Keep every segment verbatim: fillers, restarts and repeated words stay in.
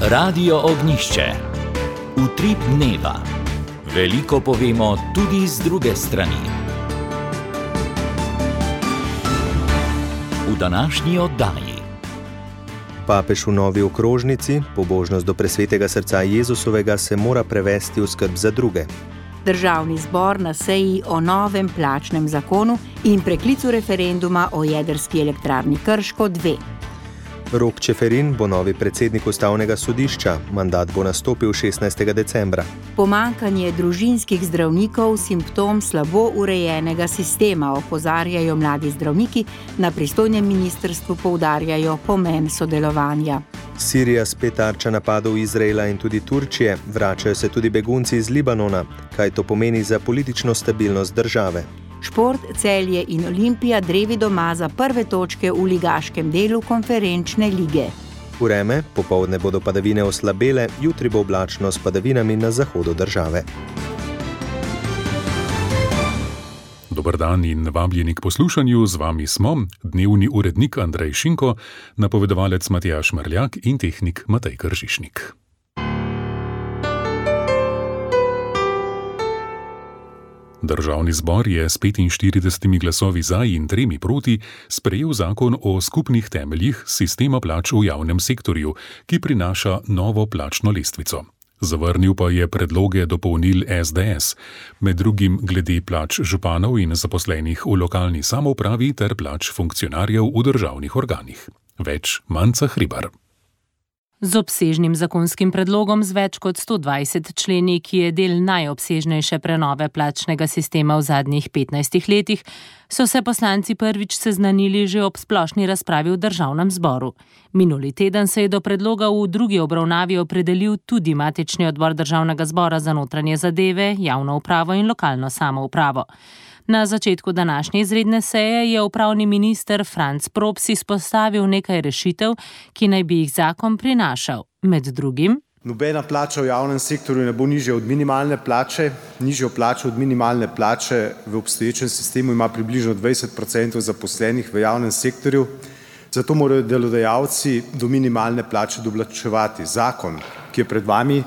Radio Ognjišče. Utrip dneva. Veliko povemo tudi z druge strani. V današnji oddaji. Papež v novi okrožnici, pobožnost do presvetega srca Jezusovega se mora prevesti v skrb za druge. Državni zbor na seji o novem plačnem zakonu in preklicu referenduma o jedrski elektrarni Krško dve. Rok Čeferin bo novi predsednik ustavnega sodišča, mandat bo nastopil šestnajstega decembra. Pomanjkanje družinskih zdravnikov, simptom slabo urejenega sistema, opozarjajo mladi zdravniki, na pristojnem ministrstvu poudarjajo pomen sodelovanja. Sirija spet tarča napadov Izraela in tudi Turčije, vračajo se tudi begunci iz Libanona. Kaj to pomeni za politično stabilnost države? Šport, Celje in Olimpija drevi doma za prve točke v ligaškem delu konferenčne lige. Vreme, popoldne bodo padavine oslabele, jutri bo oblačno s padavinami na zahodu države. Dober dan in vabljeni k poslušanju, z vami smo dnevni urednik Andrej Šinko, napovedovalec Matjaž Mrljak in tehnik Matej Kržišnik. Državni zbor je s petinštiridesetimi glasovi za in tremi proti sprejel zakon o skupnih temeljih sistema plač v javnem sektorju, ki prinaša novo plačno lestvico. Zavrnil pa je predloge dopolnil es de es, med drugim glede plač županov in zaposlenih v lokalni samoupravi ter plač funkcionarjev v državnih organih. Več Manca Hribar. Z obsežnim zakonskim predlogom z več kot sto dvajset členi, ki je del najobsežnejše prenove plačnega sistema v zadnjih petnajstih letih, so se poslanci prvič seznanili že ob splošni razpravi v državnem zboru. Minuli teden se je do predloga v drugi obravnavi opredelil tudi matični odbor državnega zbora za notranje zadeve, javno upravo in lokalno samoupravo. Na začetku današnje izredne seje je upravni minister Franc Props izpostavil nekaj rešitev, ki naj bi jih zakon prinašal. Med drugim: nobena plača v javnem sektorju ne bo nižja od minimalne plače. Nižjo plačo od minimalne plače v obstoječem sistemu ima približno dvajset procentov zaposlenih v javnem sektorju, zato morajo delodajalci do minimalne plače doplačevati. Zakon, ki je pred vami,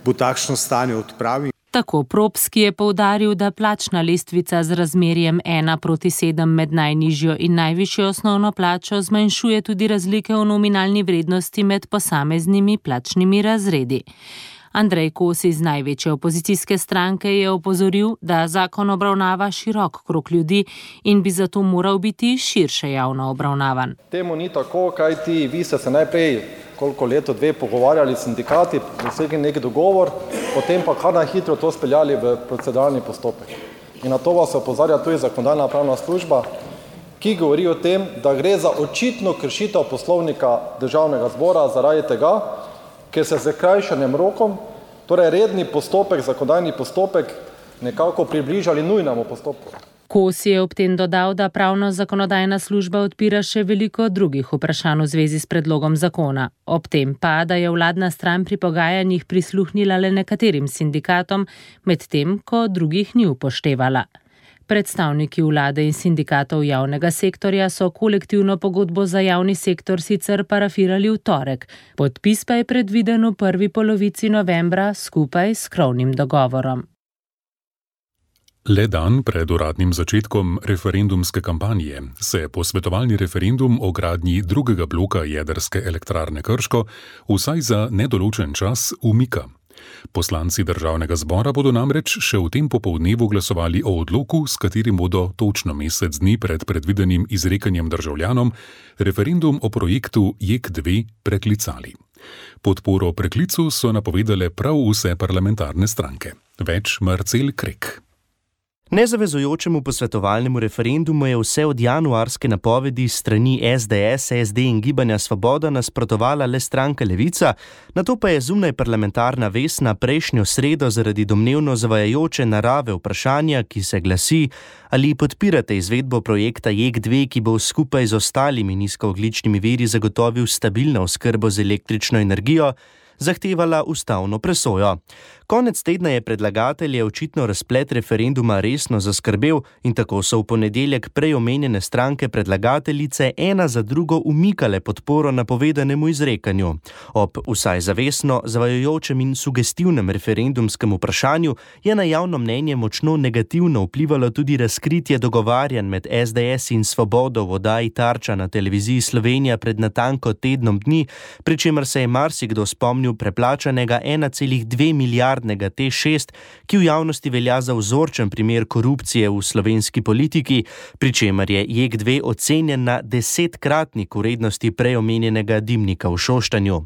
bo takšno stanje odpravil. Tako Props, ki je poudaril, da plačna lestvica z razmerjem ena proti sedem med najnižjo in najvišjo osnovno plačo zmanjšuje tudi razlike v nominalni vrednosti med posameznimi plačnimi razredi. Andrej Kos iz največje opozicijske stranke je opozoril, da zakon obravnava širok krog ljudi in bi zato moral biti širše javno obravnavan. Temu ni tako, kajti vi ste se najprej koliko leto dve pogovarjali s sindikati, dosegli neki dogovor, potem pa kar najhitro to speljali v proceduralni postopek. In na to vas opozarja tudi Zakonodajno-pravna služba, ki govori o tem, da gre za očitno kršitev Poslovnika Državnega zbora zaradi tega, ker se z krajšanjem rokom, torej redni postopek, zakonodajni postopek, nekako približali nujnemu postopku. Kos je ob tem dodal, da pravno-zakonodajna služba odpira še veliko drugih vprašanj v zvezi s predlogom zakona. Ob tem pa, da je vladna stran pri pogajanjih prisluhnila le nekaterim sindikatom, medtem ko drugih ni upoštevala. Predstavniki vlade in sindikatov javnega sektorja so kolektivno pogodbo za javni sektor sicer parafirali v torek, podpis pa je predviden v prvi polovici novembra skupaj s krovnim dogovorom. Le dan pred uradnim začetkom referendumske kampanje se posvetovalni referendum o gradnji drugega bloka jedrske elektrarne Krško vsaj za nedoločen čas umika. Poslanci državnega zbora bodo namreč še v tem popoldnevu glasovali o odloku, s katerim bodo točno mesec dni pred predvidenim izrekanjem državljanom referendum o projektu J E K dve preklicali. Podporo preklicu so napovedale prav vse parlamentarne stranke. Več Marcel Krek. Nezavezujočemu posvetovalnemu referendumu je vse od januarske napovedi strani es de es, es de in Gibanja Svoboda nasprotovala le stranka Levica, nato pa je zunaj parlamentarna Vesna prejšnjo sredo zaradi domnevno zavajajoče narave vprašanja, ki se glasi: ali podpirate izvedbo projekta J E K dve, ki bo skupaj z ostalimi nizkoogljičnimi viri zagotovil stabilno oskrbo z električno energijo, zahtevala ustavno presojo. Konec tedna je predlagatelje očitno razplet referenduma resno zaskrbel in tako so v ponedeljek prej omenjene stranke predlagateljice ena za drugo umikale podporo napovedanemu izrekanju. Ob vsaj zavestno, zavajajočem in sugestivnem referendumskem vprašanju je na javno mnenje močno negativno vplivalo tudi razkritje dogovarjanj med es de es in Svobodo v oddaji Tarča na televiziji Slovenija pred natanko tednom dni, pri čemer se je marsikdo spomnil preplačanega ena cela dve milijardnega T šest, ki v javnosti velja za vzorčen primer korupcije v slovenski politiki, pri čemer je J E K dve ocenjen na desetkratnik vrednosti prej omenjenega dimnika v Šoštanju.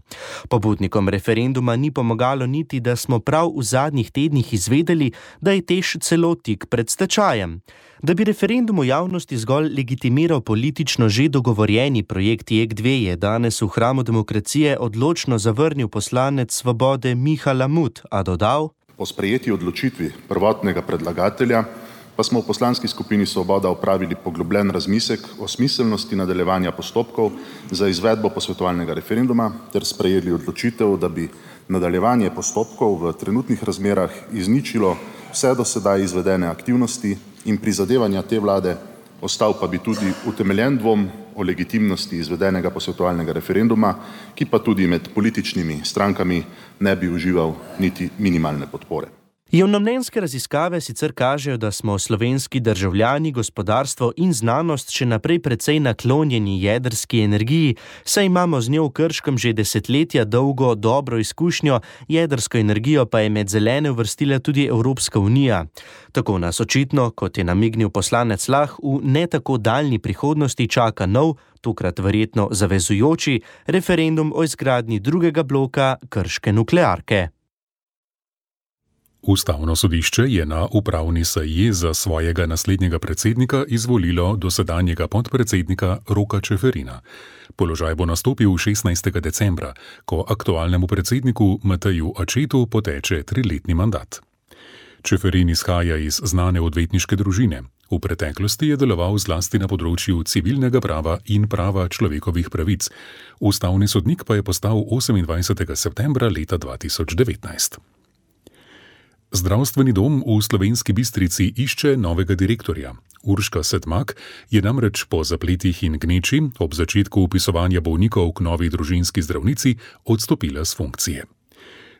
Pobudnikom referenduma ni pomagalo niti, da smo prav v zadnjih tednih izvedeli, da je TEŠ celo tik pred stečajem. Da bi referendum v javnosti zgolj legitimiral politično že dogovorjeni projekt J E K dve, je danes v hramu demokracije odločno zavrnil poslanec Svobode Miha Lamut, a dodal: Po sprejeti odločitvi prvotnega predlagatelja pa smo v poslanski skupini Svoboda opravili poglobljen razmislek o smiselnosti nadaljevanja postopkov za izvedbo posvetovalnega referenduma ter sprejeli odločitev, da bi nadaljevanje postopkov v trenutnih razmerah izničilo vse do sedaj izvedene aktivnosti in prizadevanja te vlade, ostal pa bi tudi utemeljen dvom o legitimnosti izvedenega posvetovalnega referenduma, ki pa tudi med političnimi strankami ne bi užival niti minimalne podpore. Javnomnenjske raziskave sicer kažejo, da smo slovenski državljani, gospodarstvo in znanost še naprej precej naklonjeni jedrski energiji, saj imamo z njo v Krškem že desetletja dolgo dobro izkušnjo, jedrsko energijo pa je med zelene uvrstila tudi Evropska unija. Tako nas očitno, kot je namignil poslanec Lah, v ne tako daljni prihodnosti čaka nov, tokrat verjetno zavezujoči, referendum o izgradnji drugega bloka krške nuklearke. Ustavno sodišče je na upravni seji za svojega naslednjega predsednika izvolilo dosedanjega podpredsednika Roka Čeferina. Položaj bo nastopil šestnajstega decembra, ko aktualnemu predsedniku Mateju Ačetu poteče triletni mandat. Čeferin izhaja iz znane odvetniške družine. V preteklosti je deloval zlasti na področju civilnega prava in prava človekovih pravic. Ustavni sodnik pa je postal osemindvajsetega septembra leta dva tisoč devetnajst. Zdravstveni dom v Slovenski Bistrici išče novega direktorja. Urška Sedmak je namreč po zapletih in gneči ob začetku vpisovanja bolnikov k novi družinski zdravnici odstopila s funkcije.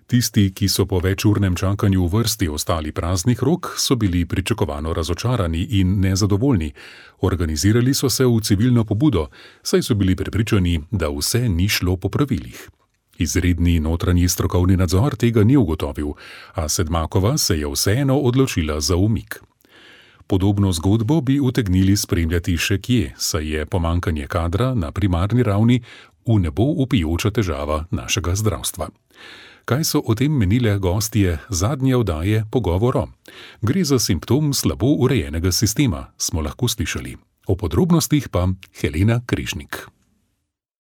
Tisti, ki so po večurnem čakanju v vrsti ostali praznih rok, so bili pričakovano razočarani in nezadovoljni. Organizirali so se v civilno pobudo, saj so bili prepričani, da vse ni šlo po pravilih. Izredni notranji strokovni nadzor tega ni ugotovil, a Sedmakova se je vseeno odločila za umik. Podobno zgodbo bi utegnili spremljati še kje, saj je pomanjkanje kadra na primarni ravni v nebo vpijoča težava našega zdravstva. Kaj so o tem menile gostje zadnje oddaje Pogovoro? Gre za simptom slabo urejenega sistema, smo lahko slišali. O podrobnostih pa Helena Križnik.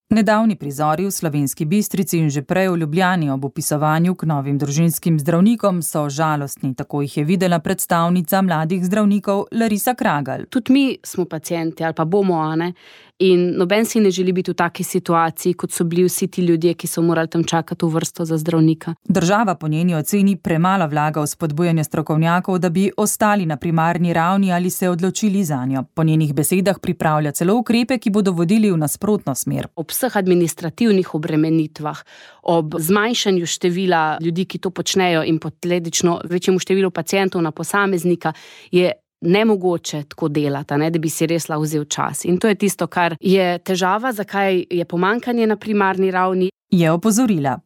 Nedavni prizori v Slovenski Bistrici in že prej v Ljubljani ob vpisovanju k novim družinskim zdravnikom so žalostni, tako jih je videla predstavnica mladih zdravnikov Larisa Kragelj. Tudi mi smo pacienti ali pa bomo, a ne? In noben si ne želi biti v taki situaciji, kot so bili vsi ti ljudje, ki so morali tam čakati v vrsto za zdravnika. Država po njeni oceni premalo vlaga v spodbujanje strokovnjakov, da bi ostali na primarni ravni ali se odločili zanjo. Po njenih besedah pripravlja celo ukrepe, ki bodo vodili v nasprotno smer. Ob vseh administrativnih obremenitvah, ob zmanjšanju števila ljudi, ki to počnejo in posledično večjemu številu pacientov na posameznika, je nemogoče tako delati, ne, da bi si res lahko vzel čas. In to je tisto, kar je težava, zakaj je pomanjkanje na primarni ravni. Je opozorila.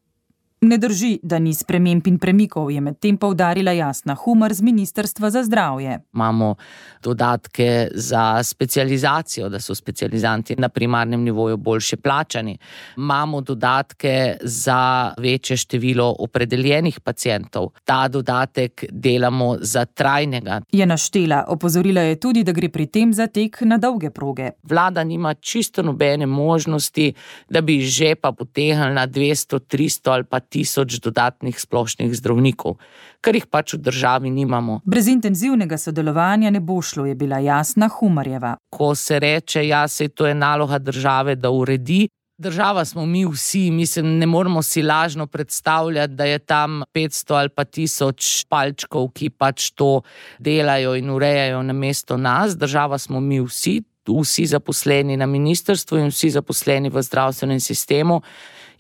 Ne drži, da ni sprememb in premikov, je medtem poudarila Jasna Humar z Ministrstva za zdravje. Imamo dodatke za specializacijo, da so specializanti na primarnem nivoju boljše plačani. Imamo dodatke za večje število opredeljenih pacientov. Ta dodatek delamo za trajnega. Je naštela, opozorila je tudi, da gre pri tem za tek na dolge proge. Vlada nima čisto nobene možnosti, da bi že pa potegnila na dvesto, tristo ali pa tisoč dodatnih splošnih zdravnikov, kar jih pač v državi nimamo. Brez intenzivnega sodelovanja ne bo šlo, je bila Jasna Humarjeva. Ko se reče, ja, saj to je naloga države, da uredi, Država smo mi vsi, mislim, ne moramo si lažno predstavljati, da je tam petsto ali pa tisoč palčkov, ki pač to delajo in urejajo namesto nas. Država smo mi vsi, vsi zaposleni na ministrstvu in vsi zaposleni v zdravstvenem sistemu.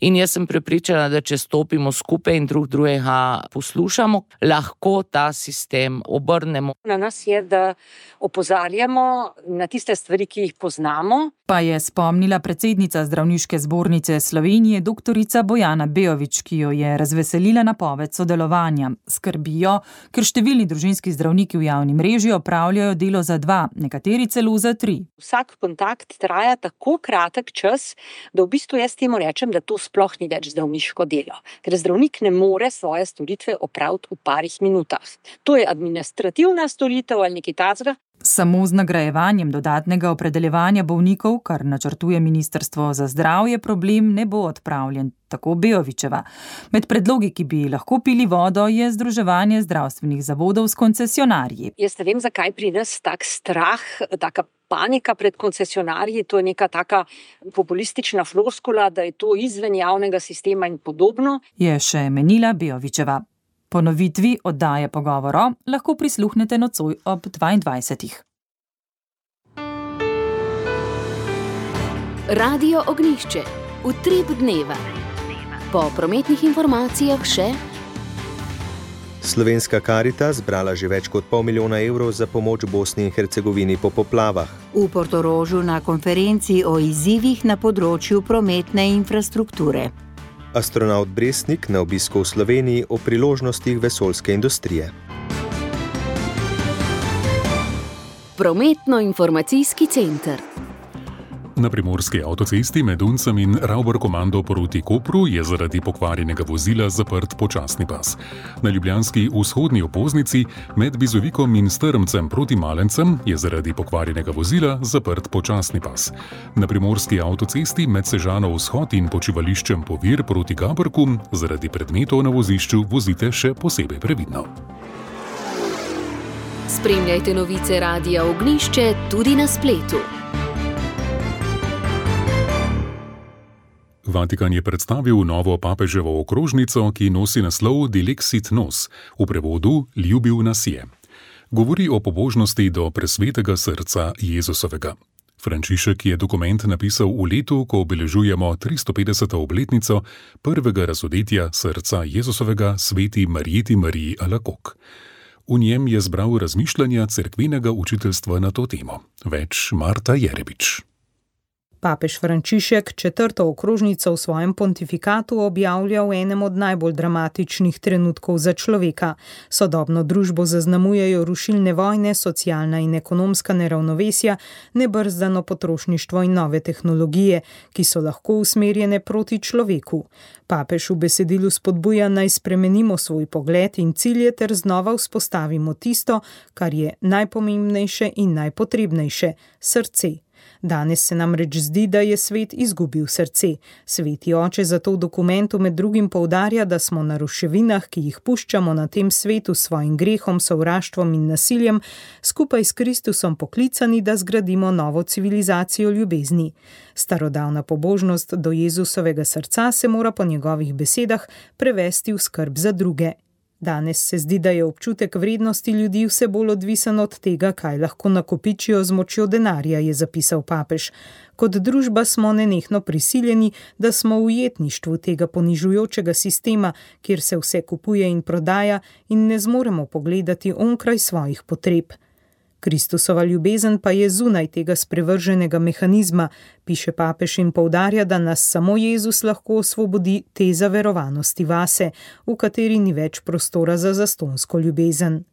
In jaz sem prepričana, da če stopimo skupaj in drug drugega poslušamo, lahko ta sistem obrnemo. Na nas je, da opozarjamo na tiste stvari, ki jih poznamo. Pa je spomnila predsednica Zdravniške zbornice Slovenije doktorica Bojana Bejović, ki jo je razveselila napoved sodelovanja. Skrbijo, ker številni družinski zdravniki v javni mreži opravljajo delo za dva, nekateri celo za tri. Vsak kontakt traja tako kratek čas, da v bistvu jaz temu rečem, da to sploh ni več zdravniško delo, ker zdravnik ne more svoje storitve opraviti v parih minutah. To je administrativna storitev ali nekaj takega. Samo z nagrajevanjem dodatnega opredeljevanja bolnikov, kar načrtuje Ministrstvo za zdravje, problem ne bo odpravljen, tako Bejovićeva. Med predlogi, ki bi lahko pili vodo, je združevanje zdravstvenih zavodov s koncesionarji. Jaz ne vem, zakaj pri nas tak strah, taka panika pred koncesionarji, to je neka taka populistična floskula, da je to izven javnega sistema in podobno. Je še menila Bejovićeva. Ponovitvi oddaje Pogovoro lahko prisluhnete nocoj ob dvaindvajsetih. Radio Ognjišče. Utrip dneva. Po prometnih informacijah še... Slovenska Karitas zbrala že več kot pol milijona evrov za pomoč Bosni in Hercegovini po poplavah. V Portorožu na konferenci o izzivih na področju prometne infrastrukture. Astronaut Brestnik na obisku v Sloveniji o priložnostih vesoljske industrije. Prometno-informacijski center. Na primorski avtocesti med Uncem in Ravbor komando proti Kopru je zaradi pokvarjenega vozila zaprt počasni pas. Na ljubljanski vzhodni obvoznici med Bizovikom in Strmcem proti Malencem je zaradi pokvarjenega vozila zaprt počasni pas. Na primorski avtocesti med Sežano vzhod in počivališčem Povir proti Gabrku zaradi predmetov na vozišču vozite še posebej previdno. Spremljajte novice Radia Ognjišče tudi na spletu. Vatikan je predstavil novo papeževo okrožnico, ki nosi naslov Dilexit Nos, v prevodu Ljubil nas je. Govori o pobožnosti do presvetega srca Jezusovega. Frančišek je dokument napisal v letu, ko obeležujemo tristopetdeseto obletnico prvega razodetja srca Jezusovega sveti Marjeti Mariji Alakok. V njem je zbral razmišljanja cerkvenega učiteljstva na to temo. Več Marta Jerebič. Papež Frančišek četrto okrožnico v svojem pontifikatu objavlja v enem od najbolj dramatičnih trenutkov za človeka. Sodobno družbo zaznamujejo rušilne vojne, socialna in ekonomska neravnovesja, nebrzdano potrošništvo in nove tehnologije, ki so lahko usmerjene proti človeku. Papež v besedilu spodbuja, naj spremenimo svoj pogled in cilje ter znova vzpostavimo tisto, kar je najpomembnejše in najpotrebnejše – srce. Danes se namreč zdi, da je svet izgubil srce. Sveti oče zato v dokumentu med drugim poudarja, da smo na ruševinah, ki jih puščamo na tem svetu s svojim grehom, sovraštvom in nasiljem, skupaj s Kristusom poklicani, da zgradimo novo civilizacijo ljubezni. Starodavna pobožnost do Jezusovega srca se mora po njegovih besedah prevesti v skrb za druge. Danes se zdi, da je občutek vrednosti ljudi vse bolj odvisen od tega, kaj lahko nakopičijo z močjo denarja, je zapisal papež. Kot družba smo nenehno prisiljeni, da smo v ujetništvu tega ponižujočega sistema, kjer se vse kupuje in prodaja in ne zmoremo pogledati onkraj svojih potreb. Kristusova ljubezen pa je zunaj tega sprevrženega mehanizma, piše papež in poudarja, da nas samo Jezus lahko osvobodi te zaverovanosti vase, v kateri ni več prostora za zastonsko ljubezen.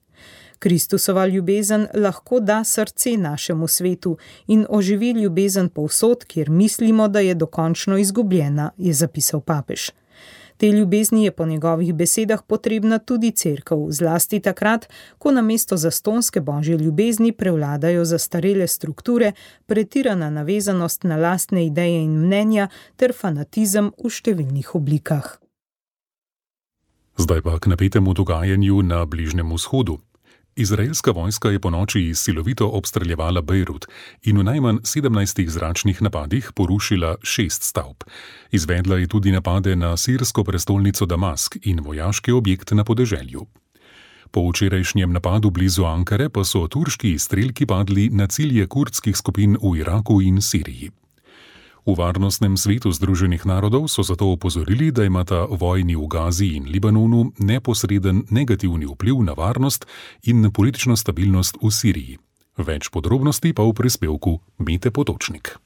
Kristusova ljubezen lahko da srce našemu svetu in oživi ljubezen povsod, kjer mislimo, da je dokončno izgubljena, je zapisal papež. Te ljubezni je po njegovih besedah potrebna tudi cerkev, zlasti takrat, ko namesto zastonske božje ljubezni prevladajo zastarele strukture, pretirana navezanost na lastne ideje in mnenja ter fanatizem v številnih oblikah. Zdaj pa k napetemu dogajanju na Bližnjem vzhodu. Izraelska vojska je ponoči silovito obstreljevala Bejrut in v najmanj sedemnajstih zračnih napadih porušila šest stavb. Izvedla je tudi napade na sirsko prestolnico Damask in vojaški objekt na podeželju. Po včerajšnjem napadu blizu Ankare pa so turški izstrelki padli na cilje kurdskih skupin v Iraku in Siriji. V Varnostnem svetu Združenih narodov so zato opozorili, da imata vojni v Gazi in Libanonu neposreden negativni vpliv na varnost in na politično stabilnost v Siriji. Več podrobnosti pa v prispevku Mete Potočnik.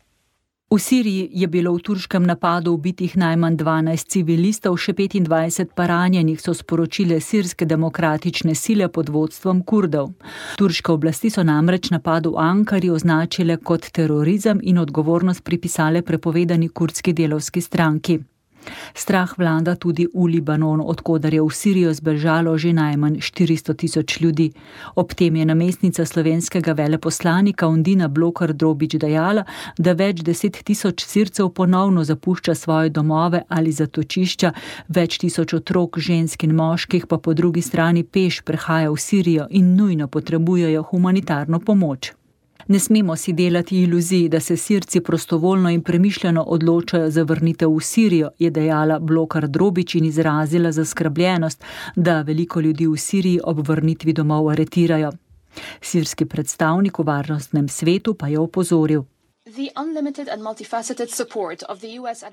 V Siriji je bilo v turškem napadu ubitih najmanj dvanajst civilistov, še petindvajset pa ranjenih, so sporočile sirske demokratične sile pod vodstvom Kurdov. Turške oblasti so namreč napad v Ankari označile kot terorizem in odgovornost pripisale prepovedani kurdski delavski stranki. Strah vlada tudi v Libanonu, odkoder je v Sirijo zbežalo že najmanj štiristo tisoč ljudi. Ob tem je namestnica slovenskega veleposlanika Undina Blokar Drobič dejala, da več deset tisoč Sircev ponovno zapušča svoje domove ali zatočišča, več tisoč otrok, žensk in moških pa po drugi strani peš prehaja v Sirijo in nujno potrebujejo humanitarno pomoč. Ne smemo si delati iluzij, da se Sirci prostovoljno in premišljeno odločajo za vrnitev v Sirijo, je dejala Blokar Drobič in izrazila zaskrbljenost, da veliko ljudi v Siriji ob vrnitvi domov aretirajo. Sirski predstavnik v Varnostnem svetu pa je opozoril.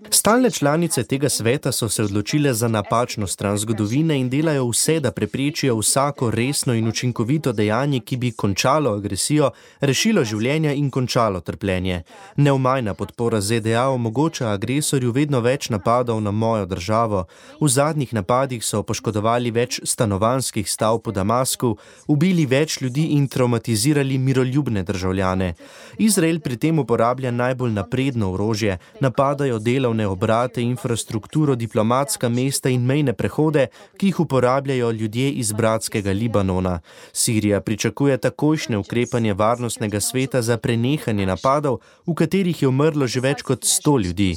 Stalne članice tega sveta so se odločile za napačno stran zgodovine in delajo vse, da preprečijo vsako resno in učinkovito dejanje, ki bi končalo agresijo, rešilo življenja in končalo trpljenje. Neomajna podpora Z D A omogoča agresorju vedno več napadov na mojo državo. V zadnjih napadih so poškodovali več stanovanjskih stavb po Damasku, ubili več ljudi in traumatizirali miroljubne državljane. Izrael pri tem uporablja najbolj napredno orožje, napadajo delovne obrate, infrastrukturo, diplomatska mesta in mejne prehode, ki jih uporabljajo ljudje iz bratskega Libanona. Sirija pričakuje takojšnje ukrepanje Varnostnega sveta za prenehanje napadov, v katerih je umrlo že več kot sto ljudi.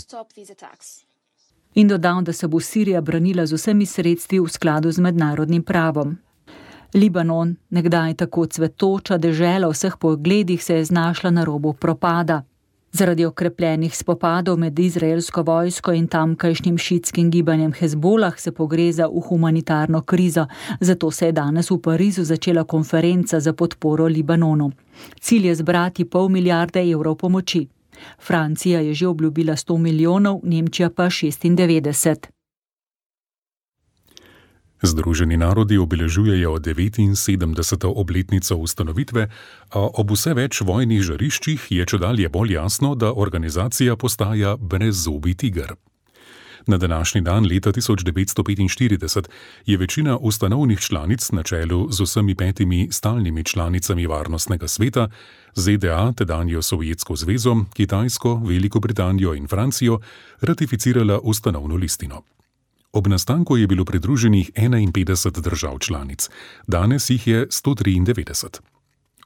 In dodal, da se bo Sirija branila z vsemi sredstvi v skladu z mednarodnim pravom. Libanon, nekdaj tako cvetoča dežela v vseh pogledih, se je znašla na robu propada. Zaradi okrepljenih spopadov med izraelsko vojsko in tamkajšnjim šiitskim gibanjem Hezbolah se pogreza v humanitarno krizo, zato se je danes v Parizu začela konferenca za podporo Libanonu. Cilj je zbrati pol milijarde evrov pomoči. Francija je že obljubila sto milijonov, Nemčija pa šestindevetdeset. Združeni narodi obeležujejo devetinsedemdeseto obletnico ustanovitve, a ob vse več vojnih žariščih je čedalje bolj jasno, da organizacija postaja brezzobi tiger. Na današnji dan leta tisoč devetsto petinštirideset je večina ustanovnih članic na čelu z vsemi petimi stalnimi članicami Varnostnega sveta, Z D A, tedanjo Sovjetsko zvezo, Kitajsko, Veliko Britanijo in Francijo, ratificirala ustanovno listino. Ob nastanku je bilo pridruženih enainpetdeset držav članic, danes jih je sto triindevetdeset.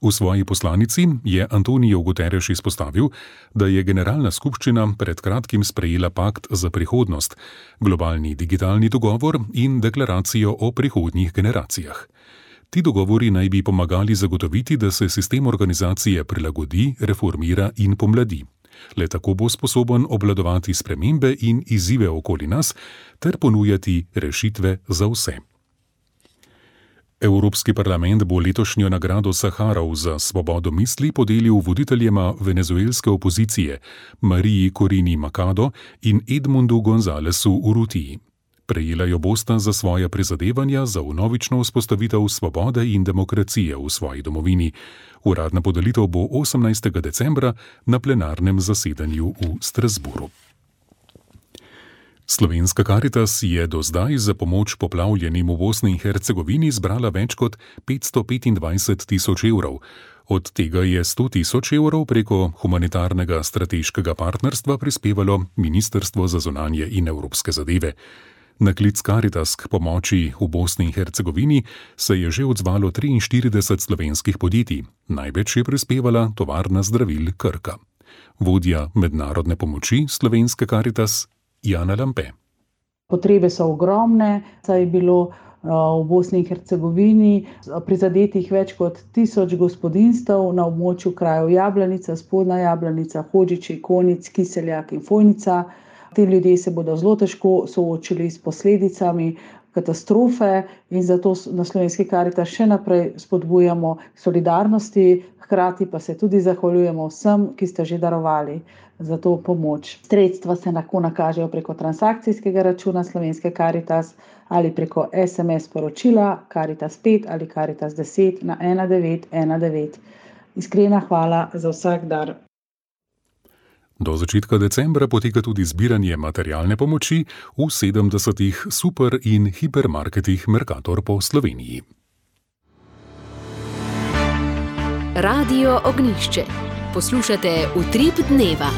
V svoji poslanici je Antonijo Guterres izpostavil, da je Generalna skupščina pred kratkim sprejela pakt za prihodnost, globalni digitalni dogovor in deklaracijo o prihodnjih generacijah. Ti dogovori naj bi pomagali zagotoviti, da se sistem organizacije prilagodi, reformira in pomladi. Le tako bo sposoben obvladovati spremembe in izzive okoli nas ter ponujati rešitve za vse. Evropski parlament bo letošnjo nagrado Saharov za svobodo misli podelil voditeljema venezuelske opozicije Mariji Corina Machado in Edmundu Gonzalesu Urrutiji. Prejela jo bosta za svoja prizadevanja za vnovično vzpostavitev svobode in demokracije v svoji domovini. Uradna podelitev bo osemnajstega decembra na plenarnem zasedanju v Strasbourgu. Slovenska Karitas je do zdaj za pomoč poplavljenim v Bosni in Hercegovini zbrala več kot petsto petindvajset tisoč evrov. Od tega je sto tisoč evrov preko humanitarnega strateškega partnerstva prispevalo Ministrstvo za zunanje in evropske zadeve. Na klic Karitas k pomoči v Bosni in Hercegovini se je že odzvalo triinštirideset slovenskih podjetij. Največ je prispevala tovarna zdravil Krka. Vodja mednarodne pomoči Slovenske Karitas Jana Lampe. Potrebe so ogromne, saj je bilo v Bosni in Hercegovini prizadetih več kot tisoč gospodinjstev na območju krajev Jablanica, Spodnja Jablanica, Hodžići, Konic, Kiseljak in Fojnica. Ti ljudje se bodo zelo težko soočili s posledicami katastrofe in zato na Slovenski Karitas še naprej spodbujamo solidarnosti, hkrati pa se tudi zahvaljujemo vsem, ki ste že darovali za to pomoč. Sredstva se lahko nakažejo preko transakcijskega računa Slovenske Karitas ali preko es em es sporočila Karitas pet ali Karitas deset na ena devet ena devet. Iskrena hvala za vsak dar. Do začetka decembra poteka tudi zbiranje materialne pomoči v sedemdesetih super- in hipermarketih Mercator po Sloveniji. Radio Ognjišče. Poslušate Utrip dneva.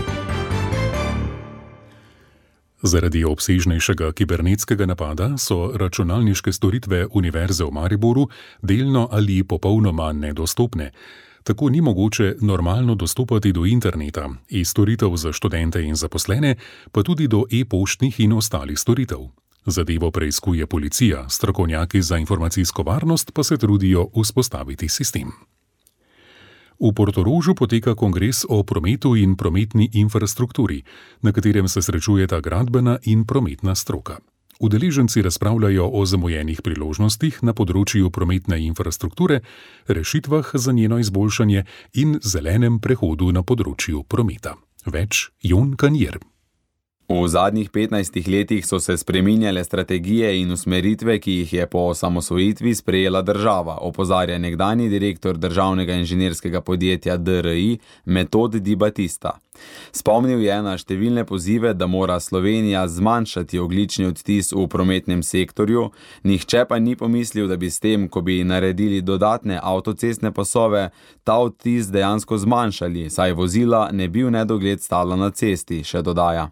Zaradi obsežnejšega kibernetskega napada so računalniške storitve Univerze v Mariboru delno ali popolnoma nedostopne. Tako ni mogoče normalno dostopati do interneta, e-storitev za študente in zaposlene, pa tudi do e-poštnih in ostalih storitev. Zadevo preiskuje policija, strokovnjaki za informacijsko varnost pa se trudijo vzpostaviti sistem. V Portorožu poteka kongres o prometu in prometni infrastrukturi, na katerem se srečujeta gradbena in prometna stroka. Udeleženci razpravljajo o zamujenih priložnostih na področju prometne infrastrukture, rešitvah za njeno izboljšanje in zelenem prehodu na področju prometa. Več Jon Kanjer. V zadnjih petnajstih letih so se spreminjale strategije in usmeritve, ki jih je po osamosvojitvi sprejela država, opozarja nekdanji direktor državnega inženirskega podjetja D R I Metod Di Batista. Spomnil je na številne pozive, da mora Slovenija zmanjšati ogljični odtis v prometnem sektorju, nihče pa ni pomislil, da bi s tem, ko bi naredili dodatne avtocestne pasove, ta odtis dejansko zmanjšali, saj vozila ne bi v nedogled stala na cesti, še dodaja.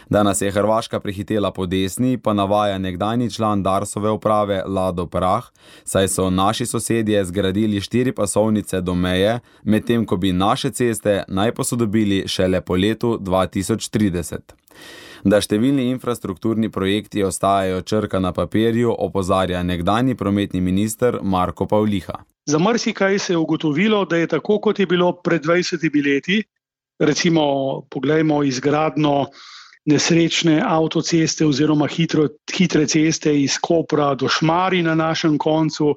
Da nas je Hrvaška prehitela po desni, pa navaja nekdanji član Darsove uprave Lado Prah, saj so naši sosedje zgradili štiri pasovnice do meje, medtem ko bi naše ceste naj posodobili šele po letu dva tisoč trideset. Da številni infrastrukturni projekti ostajajo črka na papirju, opozarja nekdanji prometni minister Marko Pavliha. Za marsikaj se je ugotovilo, da je tako, kot je bilo pred dvajsetimi leti, recimo poglejmo izgradnjo nesrečne avtoceste oziroma hitro, hitre ceste iz Kopra do Šmarij na našem koncu,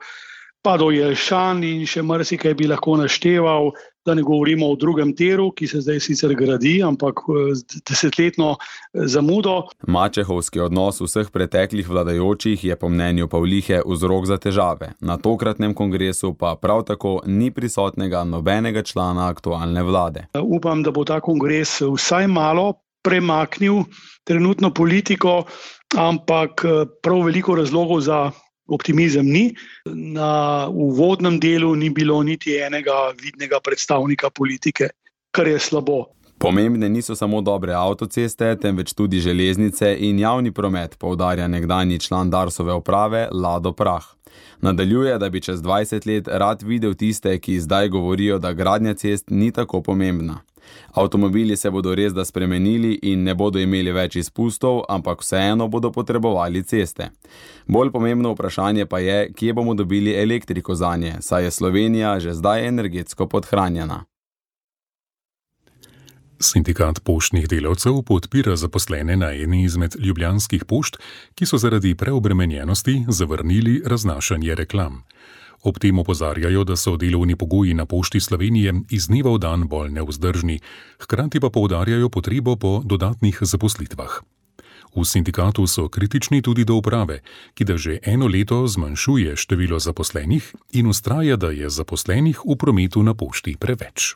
pa do Jelšan in še marsikaj bi lahko našteval, da ne govorimo o drugem tiru, ki se zdaj sicer gradi, ampak desetletno zamudo. Mačehovski odnos vseh preteklih vladajočih je po mnenju Pavlihe vzrok za težave. Na tokratnem kongresu pa prav tako ni prisotnega nobenega člana aktualne vlade. Upam, da bo ta kongres vsaj malo premaknil trenutno politiko, ampak prav veliko razlogov za optimizem ni. Na uvodnem delu ni bilo niti enega vidnega predstavnika politike, kar je slabo. Pomembne niso samo dobre avtoceste, temveč tudi železnice in javni promet, poudarja nekdanji član Darsove uprave Lado Prah. Nadaljuje, da bi čez dvajset let rad videl tiste, ki zdaj govorijo, da gradnja cest ni tako pomembna. Avtomobili se bodo res da spremenili in ne bodo imeli več izpustov, ampak vseeno bodo potrebovali ceste. Bolj pomembno vprašanje pa je, kje bomo dobili elektriko zanje, saj je Slovenija že zdaj energetsko podhranjena. Sindikat poštnih delavcev podpira zaposlene na eni izmed ljubljanskih pošt, ki so zaradi preobremenjenosti zavrnili raznašanje reklam. Ob tem opozarjajo, da so delovni pogoji na Pošti Slovenije iz dneva v dan bolj nevzdržni, hkrati pa poudarjajo potrebo po dodatnih zaposlitvah. V sindikatu so kritični tudi do uprave, ki da že eno leto zmanjšuje število zaposlenih in vztraja, da je zaposlenih v prometu na pošti preveč.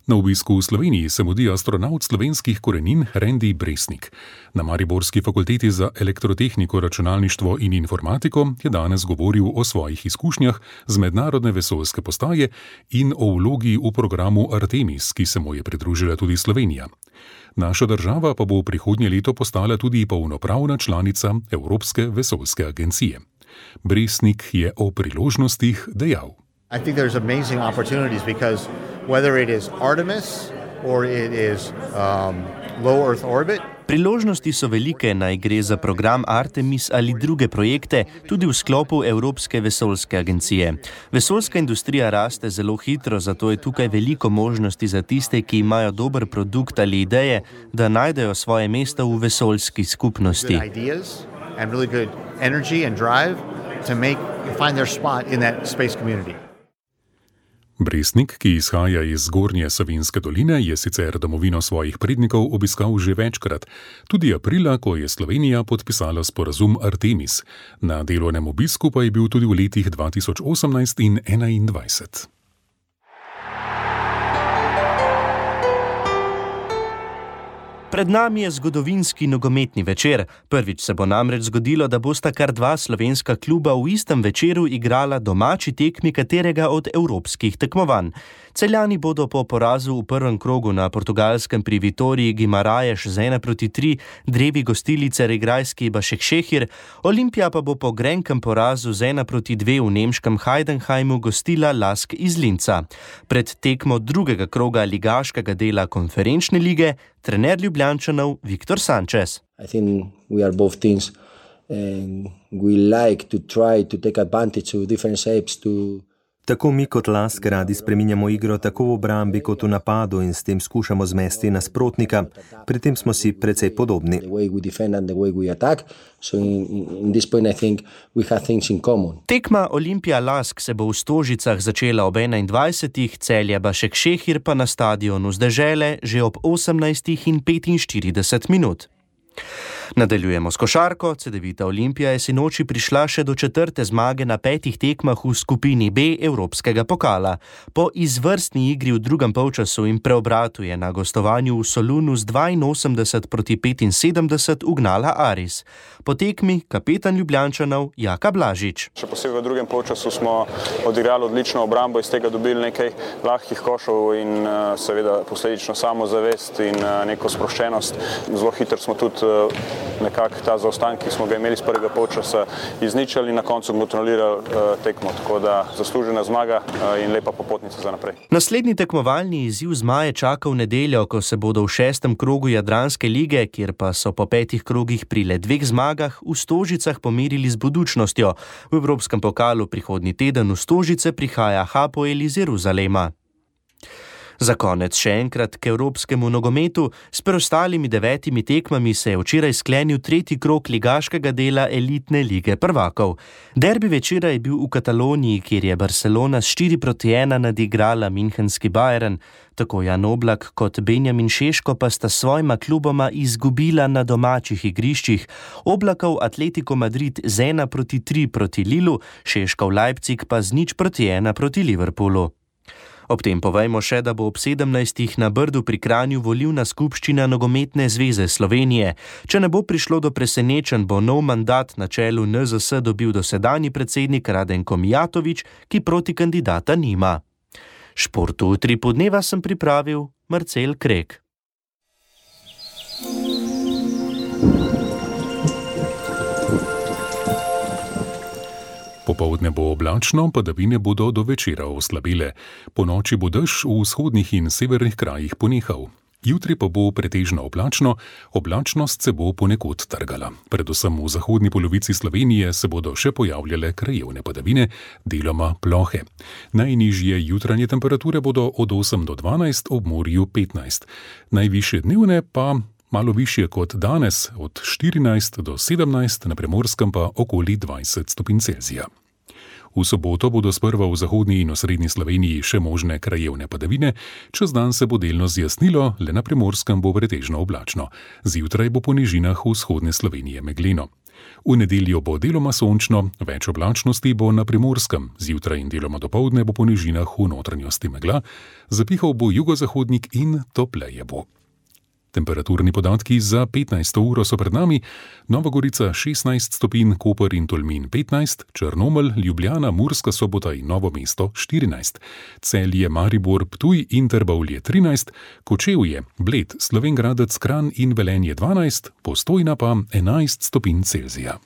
Na obisku v Sloveniji se mudi astronaut slovenskih korenin Randy Bresnik. Na Mariborski fakulteti za elektrotehniko, računalništvo in informatiko je danes govoril o svojih izkušnjah z mednarodne vesoljske postaje in o vlogi v programu Artemis, ki se mu je pridružila tudi Slovenija. Naša država pa bo v prihodnje leto postala tudi polnopravna članica Evropske vesoljske agencije. Bresnik je o priložnostih dejal. I think there's amazing opportunities because whether it is Artemis or it is um, low Earth orbit, Priložnosti so velike, naj gre za program Artemis ali druge projekte, tudi v sklopu Evropske vesoljske agencije. Vesoljska industrija raste zelo hitro, zato je tukaj veliko možnosti za tiste, ki imajo dober produkt ali ideje, da najdejo svoje mesto v vesoljski skupnosti. Brestnik, ki izhaja iz Zgornje Savinjske doline, je sicer domovino svojih prednikov obiskal že večkrat, tudi aprila, ko je Slovenija podpisala sporazum Artemis. Na delovnem obisku pa je bil tudi v letih dva tisoč osemnajst in enaindvajset. Pred nami je zgodovinski nogometni večer. Prvič se bo namreč zgodilo, da bosta kar dva slovenska kluba v istem večeru igrala domači tekmi katerega od evropskih tekmovanj. Celjani bodo po porazu v prvem krogu na portugalskem pri Vitoriji Guimarães z ena proti tri drevi gostili carigrajski Başakşehir, Olimpija pa bo po grenkem porazu z ena proti dve v nemškem Heidenheimu gostila Lask iz Linca. Pred tekmo drugega kroga ligaškega dela konferenčne lige trener Ljubljančanov Viktor Sanchez. I think we are both teams and we like to try to take advantage of different shapes to Tako mi kot Lask radi spreminjamo igro tako v obrambi kot v napadu in s tem skušamo zmesti nasprotnika. Pri tem smo si precej podobni. Tekma Olimpija Lask se bo v Stožicah začela ob enaindvajsetih, Celje Başakşehir pa na stadionu z Dežele že ob osemnajstih in petinštirideset minut. Nadaljujemo s košarko. Cedevita Olimpija je sinoči prišla še do četrte zmage na petih tekmah v skupini B Evropskega pokala. Po izvrstni igri v drugem polčasu in preobratu je na gostovanju v Solunu z dvainosemdeset proti petinsedemdeset ugnala Aris. Po tekmi kapetan Ljubljančanov Jaka Blažič. Še posebej v drugem polčasu smo odigrali odlično obrambo, iz tega dobili nekaj lahkih košov in seveda posledično samozavest in neko sproščenost. Zelo hitro smo tudi nekako ta zaostanek, ki smo ga imeli z prvega polčasa, izničili in na koncu kontrolirali tekmo. Tako da zaslužena zmaga in lepa popotnica za naprej. Naslednji tekmovalni izziv zmaje čaka v nedeljo, ko se bodo v šestem krogu Jadranske lige, kjer pa so po petih krogih pri le dveh zmagah, v Stožicah pomerili z Budućnostjo. V Evropskem pokalu prihodnji teden v Stožice prihaja Hapoel iz Jeruzalema. Za konec še enkrat k evropskemu nogometu. S preostalimi devetimi tekmami se je včeraj sklenil tretji krog ligaškega dela elitne lige prvakov. Derbi večera je bil v Kataloniji, kjer je Barcelona s štiri proti ena nadigrala münchenski Bayern. Tako Jan Oblak kot Benjamin Šeško pa sta svojima kluboma izgubila na domačih igriščih. Oblakov Atletico Madrid z ena proti tri proti Lilu, Šeškov Leipzig pa z nič proti ena proti Liverpoolu. Ob tem povejmo še, da bo ob sedemnajstih na Brdu pri Kranju volilna skupščina Nogometne zveze Slovenije. Če ne bo prišlo do presenečenj, bo nov mandat na čelu N Z S dobil dosedanji predsednik Radenko Mijatović, ki proti kandidata nima. Športu v Utripu dneva sem pripravil Marcel Krek. Popoldne bo oblačno, padavine bodo do večera oslabile. Po noči bo dež v vzhodnih in severnih krajih ponehal. Jutri pa bo pretežno oblačno, oblačnost se bo ponekod trgala. Predvsem v zahodni polovici Slovenije se bodo še pojavljale krajevne padavine, deloma plohe. Najnižje jutranje temperature bodo od osem do dvanajst, ob morju petnajst. Najvišje dnevne pa malo višje kot danes, od štirinajst do sedemnajst, na Primorskem pa okoli dvajset stopinj Celzija. V soboto bodo sprva v zahodni in osrednji Sloveniji še možne krajevne padavine, čez dan se bo delno zjasnilo, le na Primorskem bo pretežno oblačno. Zjutraj bo po nižinah vzhodne Slovenije megleno. V nedeljo bo deloma sončno, več oblačnosti bo na Primorskem, zjutraj in deloma dopoldne bo po nižinah v notranjosti megla, zapihal bo jugozahodnik in topleje bo. Temperaturni podatki za petnajsto uro so pred nami: Nova Gorica šestnajst stopinj, Koper in Tolmin petnajst, Črnomelj, Ljubljana, Murska Sobota in Novo mesto štirinajst, Celje, Maribor, Ptuj in Trbovlje trinajst, Kočevje, Bled, Slovenj Gradec, Kranj in Velenje dvanajst, Postojna pa enajst stopinj Celzija.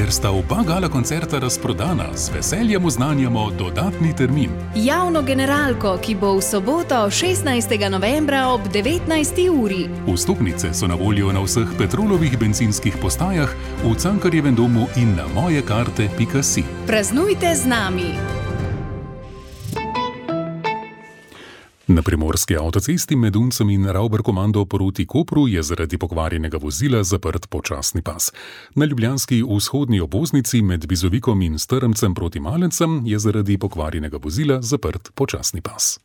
Ker sta oba gala koncerta razprodana, z veseljem oznanjamo dodatni termin. Javno generalko, ki bo v soboto šestnajstega novembra ob devetnajsti uri. Vstopnice so na voljo na vseh Petrolovih bencinskih postajah, v Cankarjevem domu in na mojekarte pika si. Praznujte z nami! Na primorski avtocesti med Uncem in Ravbarkomando proti Kopru je zaradi pokvarjenega vozila zaprt počasni pas. Na ljubljanski vzhodni obvoznici med Bizovikom in Strmcem proti Malencem je zaradi pokvarjenega vozila zaprt počasni pas.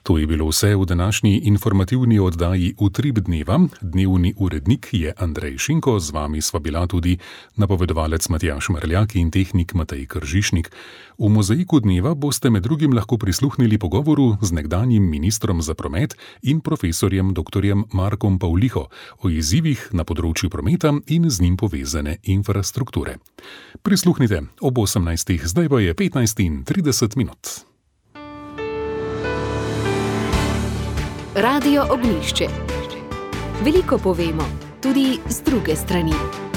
To je bilo vse v današnji informativni oddaji Utrip dneva. Dnevni urednik je Andrej Šinko, z vami sva bila tudi napovedovalec Matjaž Marljak in tehnik Matej Kržišnik. V mozaiku dneva boste med drugim lahko prisluhnili pogovoru z nekdanjim ministrom za promet in profesorjem doktorjem Markom Pavliho o izzivih na področju prometa in z njim povezane infrastrukture. Prisluhnite ob osemnajstih, zdaj pa je petnajst in trideset minut. Radio Ognjišče. Veliko povemo, tudi z druge strani.